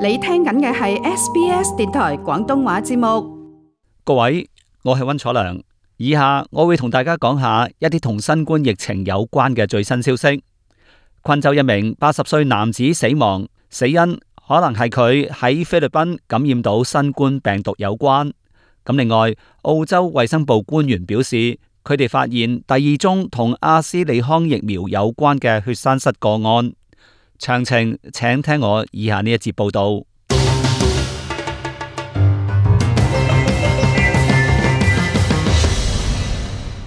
你聽緊嘅係 SBS 電台廣東話節目。各位，我係溫楚良，以下我會同大家講下一啲同新冠疫情有關嘅最新消息。昆州一名80歲男子死亡，死因可能係佢喺菲律賓感染到新冠病毒有關。咁另外，澳洲衛生部官員表示，佢哋發現第2宗同阿斯利康疫苗有關嘅血栓塞個案。詳情請聽我以下呢一節報道。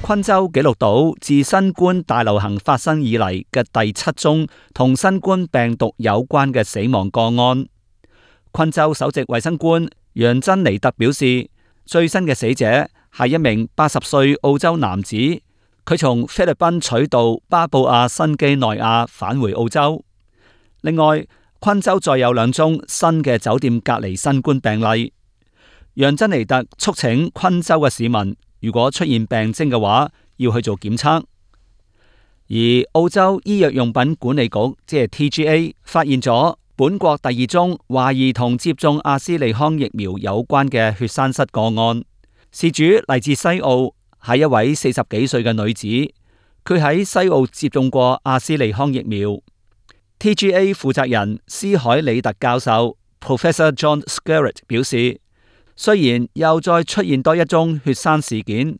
昆州記錄到自新冠大流行發生以嚟嘅第7宗同新冠病毒有關嘅死亡個案。昆州首席衛生官楊珍尼特表示，最新嘅死者係一名80歲澳洲男子，佢從菲律賓取道巴布亞新畿內亞返回澳洲。另外，昆州再有2宗新嘅酒店隔離新冠病例。楊珍尼特促請昆州嘅市民，如果出現病徵嘅話，要去做檢測。而澳洲醫藥用品管理局即係 TGA 發現咗本國第2宗懷疑同接種阿斯利康疫苗有關嘅血栓塞個案。事主嚟自西澳，係一位40幾歲嘅女子，佢喺西澳接種過阿斯利康疫苗。TGA 負責人斯海里特教授 Professor John Skerritt 表示，雖然又再出現多一宗血栓事件，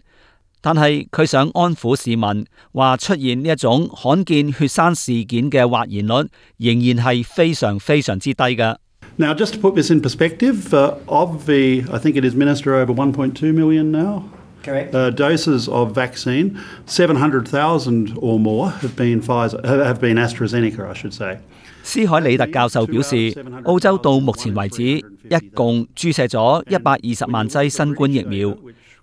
但係佢想安撫市民，話出現呢一種罕見血栓事件嘅或然率仍然係非常非常之低嘅。Now, just to put this in perspective, I think it is administered over 1.2 million now. Correct. Doses of vaccine, 700,000 or more have been AstraZeneca, I should say. 斯海里特教授表示，澳洲到目前為止一共注射咗120萬劑新冠疫苗，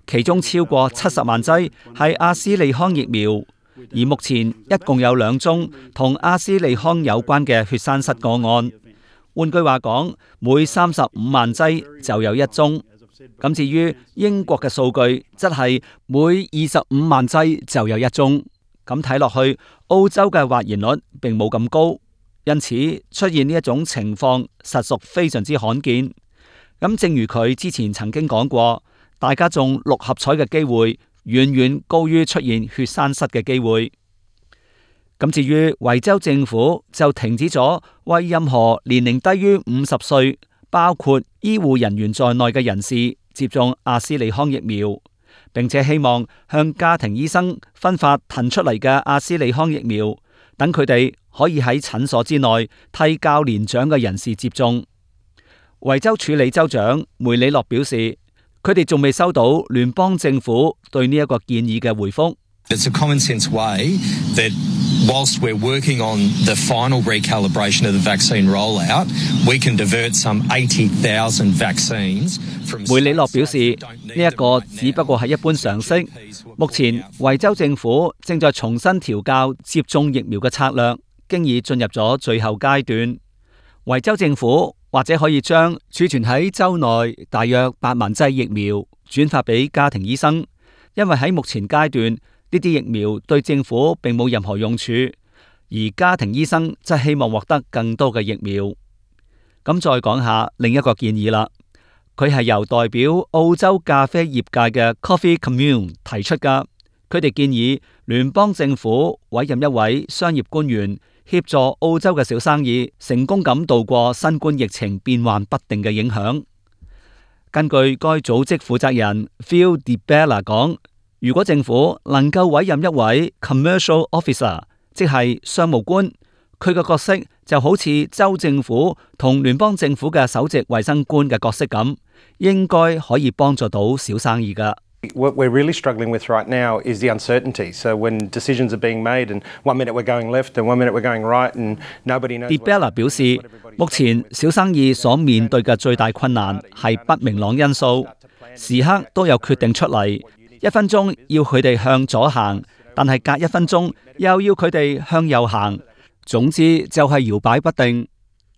其中超過70萬劑係阿斯利康疫苗，而目前一共有2宗同阿斯利康有關嘅血栓塞個案。換句話講，每35萬劑就有1宗。咁至於英國嘅數據，則係每25萬劑就有1宗。咁睇落去，澳洲嘅或然率並冇咁高，因此出現呢一種情況實屬非常之罕見。咁正如佢之前曾經講過，大家中6合彩嘅機會遠遠高於出現血栓塞嘅機會。咁至於維州政府就停止咗為任何年齡低於50歲，包括醫護人員在內嘅人士接種阿斯利康疫苗，並且希望向家庭醫生分發騰出嚟嘅阿斯利康疫苗，等佢哋可以喺診所之內替較年長嘅人士接種。維州處理州長梅里諾表示，佢哋仲未收到聯邦政府對呢一個建議嘅回覆。It's a common sense way that whilst we're working on the final recalibration of the vaccine rollout, we can divert some 80,000 vaccines from... 梅里諾表示，呢一個只不過係一般常識。目前維州政府正在重新調校接種疫苗嘅策略，經已進入咗最後階段。維州政府或者可以將儲存喺州內大約8萬劑疫苗轉發俾家庭醫生，因為喺目前階段，呢啲疫苗對政府並冇任何用處，而家庭醫生則希望獲得更多嘅疫苗。咁再講下另一個建議啦，佢係由代表澳洲咖啡業界嘅 Coffee Commune 提出噶。佢哋建議聯邦政府委任一位商業官員協助澳洲嘅小生意成功咁度過新冠疫情變幻不定嘅影響。根據該組織負責人 Phil DiBella 講，如果政府能夠委任一位 commercial officer， 即係商務官，佢嘅角色就好似州政府同聯邦政府嘅首席衛生官嘅角色咁，應該可以幫助到小生意㗎。What we're really struggling with right now is the uncertainty. So when decisions are being made and 1 minute we're going left and 1 minute we're going right and nobody knows... DiBella 表示，目前小生意所面對嘅最大困難係不明朗因素，時刻都有決定出嚟。1分鐘要佢哋向左行，但係隔1分鐘又要佢哋向右行。總之就係搖擺不定，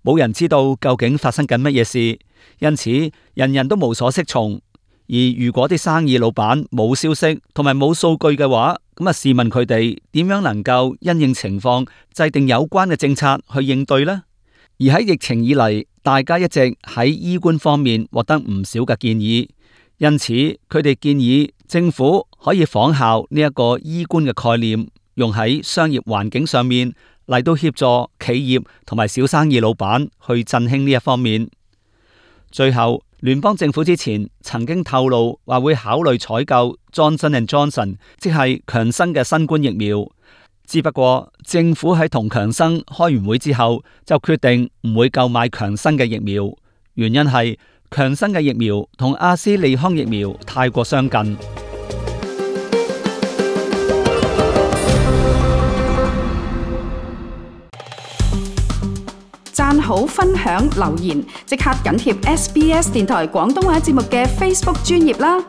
冇人知道究竟發生緊乜嘢事，因此人人都無所適從。而如果啲生意老闆冇消息同埋冇數據嘅話，咁試問佢哋點樣能夠因應情況制定有關嘅政策去應對呢？而喺疫情以嚟，大家一直喺醫觀方面獲得唔少嘅建議，因此佢哋建議政府可以仿效呢一個醫觀嘅概念，用喺商業環境上面嚟到協助企業同埋小生意老闆去振興呢一方面。最後，聯邦政府之前曾經透露話會考慮採購 Johnson & Johnson， 即係強生嘅新冠疫苗。只不過政府喺同強生開完會之後，就決定唔會購買強生嘅疫苗，原因係強生嘅疫苗同阿斯利康疫苗太過相近。讚好、分享、留言，即刻緊貼SBS 電台廣東話節目嘅 Facebook 專頁啦！